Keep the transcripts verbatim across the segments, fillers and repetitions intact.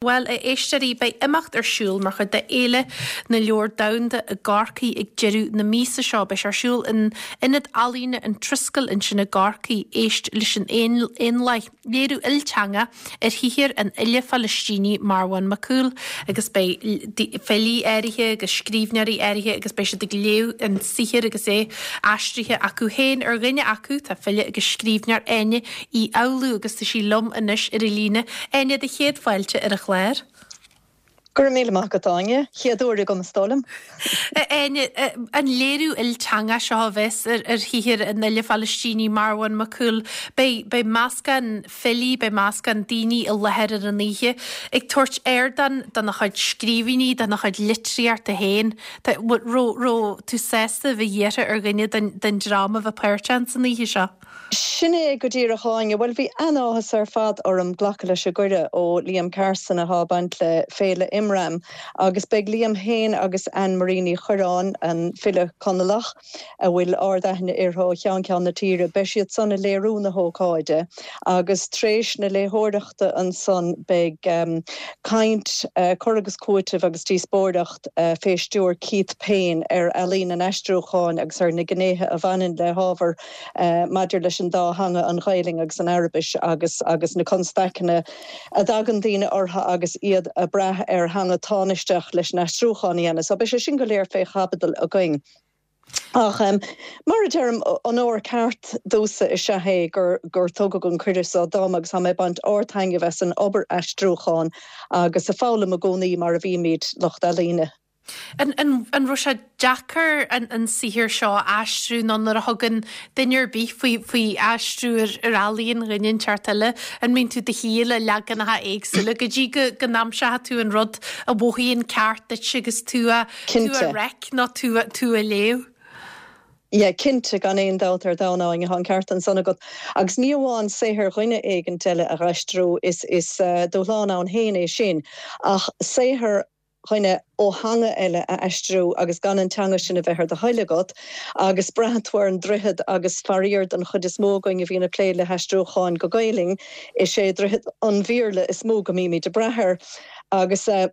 Bhuel, a éisteoirí, beidh imeacht ar siúl mar chuid de Fhéile na Leabhar Domhanda i gCorcaigh ag deireadh na míosa seo. Beidh sé ar siúl in Ionad Ealaíne an Triskel ansin i gCorcaigh. Éist leis an éanlaith. Léiriú ilteanga ar shaothar an fhile Phalaistínigh Marwan Makhoul, agus beidh filí áirithe agus scríbhneoirí áirithe agus beidh siad ag léamh an saothar agus é aistrithe acu féin. Ar dhuine acu tá file agus scríbhneoir Áine Uí Fhoghlú, agus tá sí liom anois ar an líne. Áine, do chéad fáilte ar an chlár. Go raibh míle maith agat, Áine. Chéad uair agam, is dóigh liom. Áine, an léiriú ilteanga seo a bheas ar ar shaothar an fhile Phalaistínigh Marwan Makhoul, beidh beidh meascán filí, beidh meascán daoine i láthair ar an oíche ag tabhairt ardán dona chuid scríbhinní, dona chuid litríochta féin. Raibh raibh tú sásta a bheith iarrtha ar dhuine den den dream a bheith páirteach san oíche seo? Sin é go díreach, Áine. Bhuel, bhí an-áthas ar fad orm glacadh leis an gcuireadh ó Liam Carson atá ag baint le Féile Imram, agus beidh Liam féin agus Anne Marie Ní Chuireáin, an file Conallach a bhfuil ard-aithne uirthi ó cheann ceann na tíre, beidh siad san ag léiriú na hócáide, agus tar éis na léitheoireachta ansan beidh caint, cur agus cúiteamh agus díospóireacht fé stiúir Keith Payne ar ealaín an aistriúcháin agus ar na gnéithe a bhaineann le hábhar maidir leis an dá theanga, an Ghaelainn agus an Araibis, agus agus na constaiceanna a dtagann daoine orthu agus iad ag brath ar theanga tánaisteach leis an aistriúchán a dhéanamh. So beidh sé sin go léir fé chaibidil againn. Ach um, mar a deirim, onóir ceart domhsa is ea é gur gur tugadh an cuireadh seo dom, agus tá mé ag baint ardtaitneamh as an obair aistriúcháin agus ag foghlaim i gcónaí, mar a bhímid, lucht ealaíne. An, an, an raibh sé deacair an, an saothar seo a aistriú, nó nuair a thugann duine ar bith faoi, faoi aistriú ar, ar ealaíon dhuine inteacht eile, an mbíonn tú de shíor le leaganacha éagsúla go dtí go, go n-aimseoidh tú an rud a mhothaíonn ceart duit agus tú a, tú a reic nó tú, tú a léamh? Yeah, cinnte, gan aon dabht ar domhan, Áine, tá an ceart ansan agat. Agus ní amháin saothar dhuine éigin eile a aistriú, is, is uh, dúshlán ann féin é sin, ach saothar dhuine ó theanga eile a aistriú agus gan an teanga sin a bheith ar do thoil agat, agus braitheann tú ar an droichead, agus faraor don chuid is mó againn a bhíonn ag plé le haistriúcháin go Gaelainn, is é droichead an Bhéarla is mó go mbímid ag brath air. Agus uh,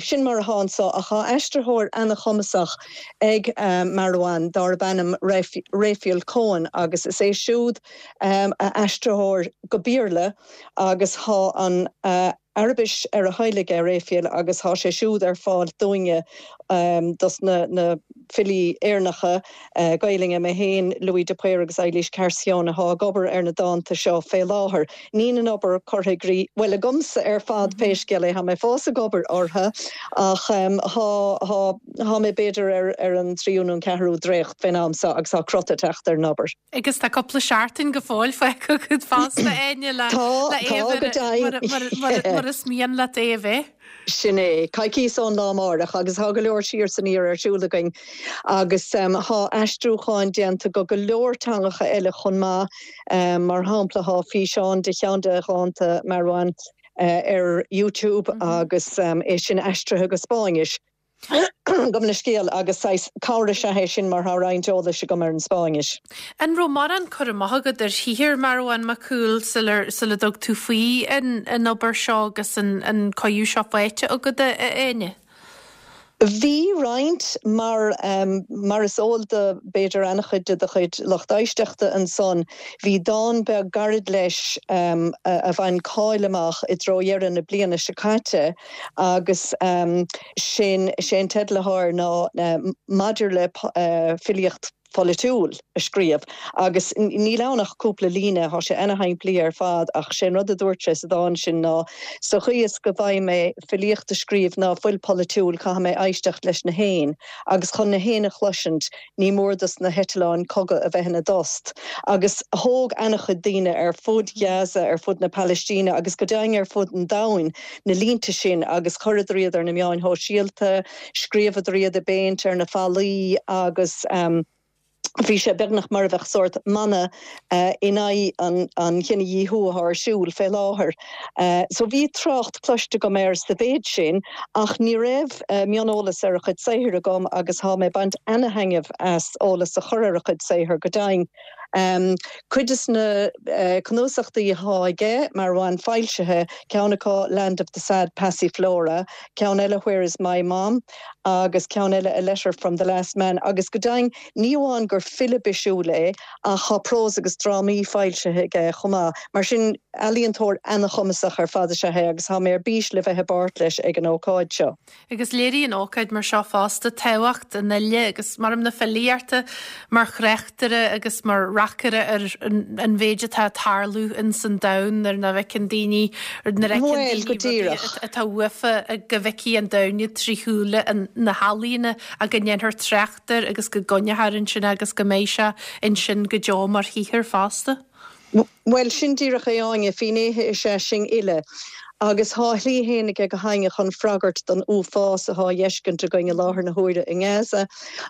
sin mar atá anso, ach tá aistritheoir an-chumasach ag uh, Marwan darb ainm Raphael Cohen, agus is é siúd um, a aistritheoir go Béarla, agus tá an uh, Araibis ar a thoil aige Raphael, agus tá sé siúd ar fáil dúinne, um, dos na, na filí Éireannacha uh, Gaelainne, mé féin, Louis de Paor agus Eilís Carcione, atá ag obair ar na dánta seo fé láthair. Níl an obair curtha i gcrích, well, agamsa ar fad pé scéal é, tá mé fós ag obair orthu, ach um, tá mé b'fhéidir ar, ar an tríú nó an ceathrú dréacht fén am seo, agus tá crot ag teacht ar an obair. Agus tá cúpla seachtain go fóill fágtha agat fosta, Áine, le mar is mian leat é a bheith. Sin é, coicís ón lá amárach, agus tá go leor siar san iar ar siúl againn, agus um, tá aistriúcháin déanta go go leor teangacha eile chomh maith, um, mar shampla tá físeán de cheann de dhánta Marwan uh, ar YouTube mm -hmm. agus um, é sin aistrithe go Spáinnis. Gabh mo leithscéal, agus cabhair is ea é sin mar tá roinnt eolais agam ar an Spáinnis. An raibh mórán cur amach agat ar shaothar Marwan Makhoul sula sula dtug tú faoi an, an obair seo agus an, an cuireadh seo faighte agat, a Áine? Bhí roinnt, mar um, mar is eol do b'fhéidir an-chuid de do chuid lucht éisteachta ansan, bhí dán beag gairid leis um, a, a bhain cáil amach i dtreo dheireadh na bliana seo caite, agus um, sin sé an teideal atá air ná uh, maidir le uh, filíocht pholaitiúil a scríobh, agus níl ann ach cúpla líne, tá sé an-shimplí ar fad, ach sé an rud a dúirt sé sa dán sin ná sa chaoi is go bhfaighidh mé filíocht a scríobh ná fuil polaitiúil, caithfidh mé éisteacht leis na héin, agus chun na héin a chloisint ní mór dos na heitleáin cogaidh a bheith ina dtost. Agus thóg an-chuid daoine ar fud Gaza, ar fud na Palaistíne agus go deimhin ar fud an domhain na línte sin agus chuireadar iad ar na meáin shóisialta, scríobhadar iad i bpéint ar na fallaí, agus um, bhí sé beagnach mar a bheadh sórt mana uh, in aghaidh an, an chinedhíothú atá ar siúl fé láthair. Uh, so bhí trácht cloiste agam air sa mhéid sin, ach ní raibh uh, mioneolas ar a chuid saothair agam, agus tá mé ag baint an-taitneamh as eolas a chur ar a chuid saothair go deimhin. Cuid des na cnuasachtaí atá aige mar bhain foilsithe ceann acu Land of the Sad Passiflora, ceann eile Where is my mom agus ceann eile a letter from the last man agus go deimhin ní amháin gur file bisiúil é ach tá prós agus drámaí foilsithe aige chomh maith. Mar sin ealaíontóir an-chumasach ar fad is ea é agus tá mé ar bís le bheith i bpáirt leis ag an ócáid seo. Agus léiríonn ócáid mar seo fosta tábhacht an fhile agus mar na filíochta mar thráchtaire agus mar reacaire ar an mhéid atá ag tarlú in san domhan ar na bhfeiceann daoine nuair a Bhuel, go díreach. atá uafa go bhfeicfidh an domhan trí shúile na healaíne agus go ndéanfar trácht air agus go gcoinneofar ansin agus go mbeidh sé ansin go deo mar shaothar fosta. Well sin díreach é Áine finnéithe is ea sinn uile. Agus tá a shlí féin aige go hainne chun freagairt don uafás atá á fheiscint againn i láthair na huaire i nGaza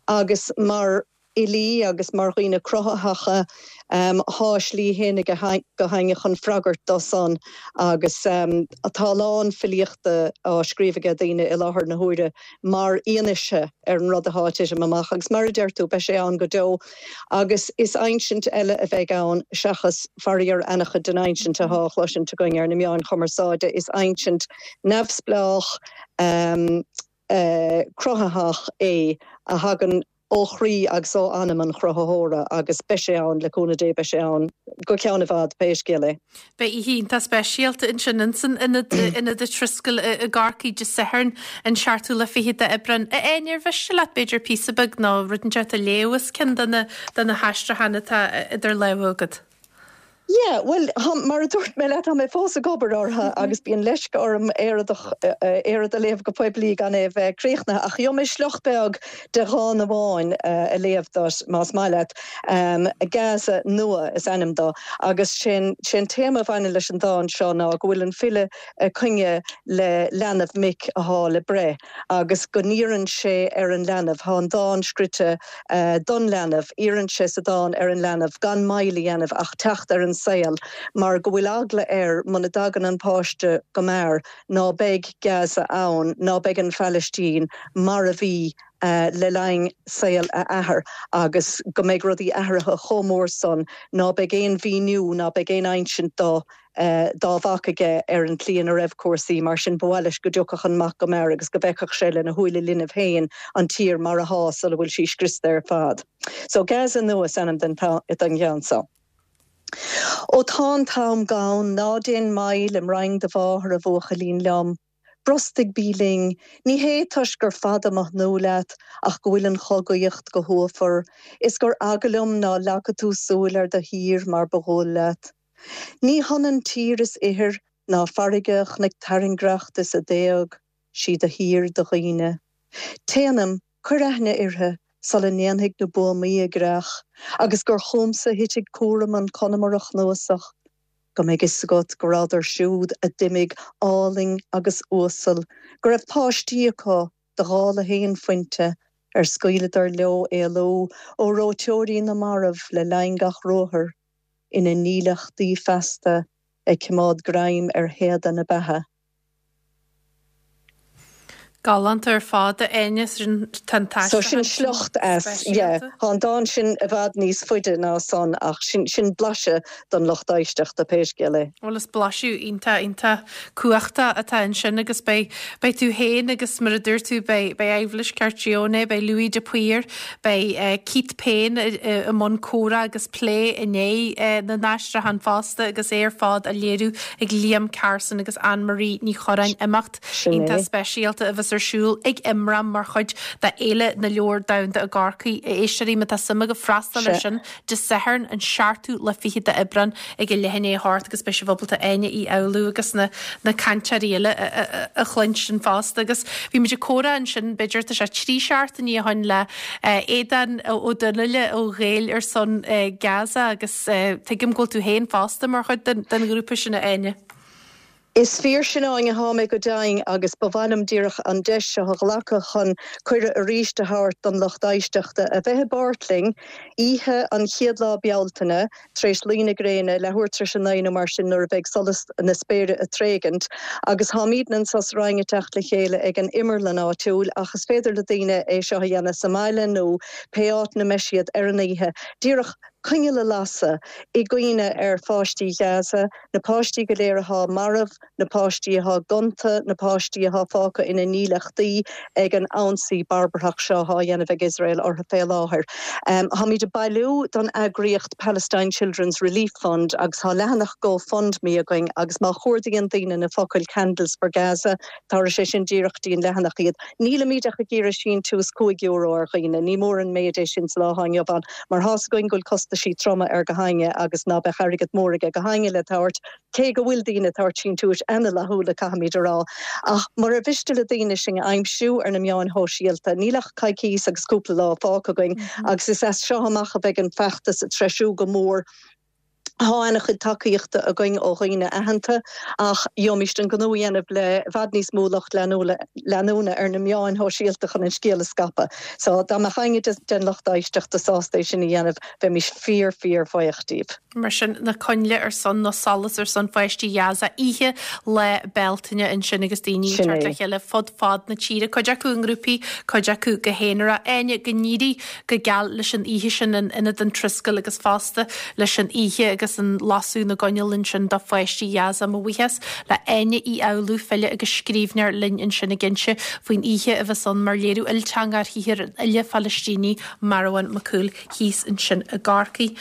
agus mar fhilí agus mar dhaoine cruthaitheacha um, tá a slí féin aige go hainne chun freagairt dó san agus um, atá lán filíochta á scríobh ag daoine i láthair na huaire mar fhianaise ar an rud atá ag titim amach agus mar a deir tú beidh sé ann go deo agus is insint eile a bheidh ann seachas faraor an-chuid den insint atá á chloisint againn ar na meáin chumarsáide is insint neamhspleách um, uh, cruthaitheach é a thagann ó chroí agus ó anam an chruthaitheora agus beidh sé ann le cúnamh Dé beidh sé ann go ceann i bhfad pé scéal é. Beidh oíche iontach speisialta ansin insan ionad ionad an Triskel i gCorcaigh Dé Sathairn an seachtú lá fichead d'Aibreán. A Áine ar mhiste leat b'fhéidir píosa beag nó rud inteacht a léamh as ceann de na de na haistriúcháin atá idir lámha agat. Yeah, well mar a dúirt mé leat tá mé fós ag obair orthu agus bíonn leisce orm é a léamh go poiblí gan é bheith críochnaithe ach gheobhaidh mé sliocht beag de dhán amháin a léamh duit más maith leat um, Gaza nua is ainm dó agus sin sin téama a bhaineann leis an dán seo ná go bhfuil an file coinne le leanbh mic atá le breith agus go n-iarrann sé ar an leanbh tá an dán scríte uh, don leanbh iarrann sé sa dán ar an leanbh gan moill a dhéanamh ach teacht ar an saol mar go bhfuil eagla air muna dtagann an páiste go mear ná beidh Gaza ann ná beidh an Phalaistín mar a bhí uh, le linn saol a athar agus go mbeidh rudaí athraithe chomh mór san ná beidh aon mhíniú ná beidh aon insint dá uh, dá mhac aige ar an tslí ina raibh cúrsaí mar sin ba mhaith leis go dtiocfadh an mac go mear agus go bhfeicfeadh sé lena shúile linbh féin an tír mar atá sula bhfuil sí scriosta ar fad. So Gaza nua is ainm den den cheann seo. Ó tá an t-am gann ná déan moill im roinn do mháthar a bhuachaillín liom. Brostaigh bí linn, ní hé toisc gur fada mo thnúth leat ach go bhfuil an chogaíocht go huafar, is gur eagal liom ná leagfaidh tú súil ar do thír mar ba dhual leat. Ní hionann tír is ithir ná farraige chnoic tairngreachta is a d'éag, sí do thír do dhaoine. Téanam, cuir aithne uirthi sula ndéanfaidh na buamaí a gcreach, agus gur chugamsa a thitfidh cúram an Conamara a chnuasach, go mbeidh fhios agat go rabhadar siúd a d'imigh álainn agus uasal, go raibh páistí acu do dhála haon phuinte, ar scaoileadar leo éalú ó reoiteoirí na marbh le linn gach ruathair, ina ndílleachtaí feasta ag coimeád greim ar théada na beatha. Galánta ar fad a Áine sin So sin sliocht as yeah, tá an dán sin i bhfad níos faide ná san ach sin sin blaiseadh don lucht éisteachta pé scéal é. Bhuel is blaiseadh iontach iontach cumhachtach atá ansin agus beidh beidh tú féin agus mar a dúirt tú beidh beidh Eibhlís Carcione, beidh Louis de Paor, beidh uh, Keith Payne i mbun comhrá agus plé i ndiaidh uh, na n-aistriúchán fosta agus é ar fad á léiriú ag Liam Carson agus Anne-Marie Ní Chorráin imeacht iontach speisialta a bheas ar siúl ag Imram mar chuid de Fhéile na Leabhar Domhanda i gCorcaigh a éisteoirí má tá suim agaibh freastal ar sin Dé Sathairn an seachtú lá fichead d'Aibreán ag a leath i ndiaidh a hocht agus beidh sibh ábalta Áine Uí Fhoghlú agus na, na cainteoirí eile a chluinstin fosta agus bhí muid ag comhrá ansin b'fhéidir tá sé trí seachtainí ó shin le Aodán Ó Donnaile ó Ghaeil ar son Gaza agus tuigim go bhfuil tú féin fosta mar chuid den, den ghrúpa sin a Áine. Is fíor sin Áine tá mé go deimhin agus ba mhaith liom díreach an deis seo a ghlacadh chun cuireadh arís a thabhairt don lucht éisteachta a bheith i bpáirt linn oíche an chéad lá Bealtaine tar éis luí na gréine leathuair tar éis a naoi nó mar sin nuair a bheidh solas na spéire ag tréigint agus táimidne anseo sa Rinn ag teacht le chéile ag an imearlann áitiúil ach is féidir le daoine é seo a dhéanamh sa mbaile nó pé áit ina mbeidh siad ar an oíche. Díreach coinneal a lasadh i gcuimhne ar pháistí Ghaza, na páistí go léir atá marbh, na páistí atá gonta, na páistí atá fágtha ina ndílleachtaí ag an ionsaí barbarthach seo á dhéanamh ag Iosrael orthu fé láthair. Um, Táimid ag bailiú don eagraíocht Palestine Children's Relief Fund agus tá leathanach GoFundMe againn agus má chuardaíonn daoine na focail Candles for Gaza tabharfaidh sé sin díreach go dtí an leathanach iad. Nílimid ach ag iarraidh síntiús cúig euro ar dhaoine, ní mór an méid é sin sa lá atá inniu ann, mar tá's againn go bhfuil costaisí troma ar gach éinne agus ná beadh airgead mór ag gach éinne le tabhairt cé go bhfuil daoine ag tabhairt síntiúis an-fhlaithiúla caithfimid a rá. Ach murar mhiste le daoine sinn a aimsiú ar na meáin shóisialta, níl ach coicís agus cúpla lá fágtha againn mm -hmm. agus is as seo amach a bheidh an feachtas ag treisiú go mór Tá an-chuid tacaíochta againn ó dhaoine aitheanta ach gheobhaimis an gnó a dhéanamh le i bhfad níos mó lucht leanúna ar na meáin shóisialta chun an scéal a scaipeadh. So dá mbeadh éinne den lucht éisteachta sásta é sin a dhéanamh bheimis fíor fíor bhuíoch díobh. Mar sin na coinnle ar son na solas ar son pháistí Ghaza oíche Lá Bealtaine ansin agus daoine tar le chéile fud fad na tíre, cuid acu i ngrúpaí cuid acu go haonarach Áine go n-éirí go geal leis an oíche sin in Ionad an Triskel agus fosta leis an oíche agus an lasadh na gcoinneal ansin do pháistí Ghaza mo bhuíochas le Áine Ní Fhoghlú file agus scríbhneoir linn ansin ag inse faoin oíche a bheas ann mar léiriú ilteangach ar shaothar an fhile Phalaistínigh Marwan Makhoul thíos ansin i gCorcaigh.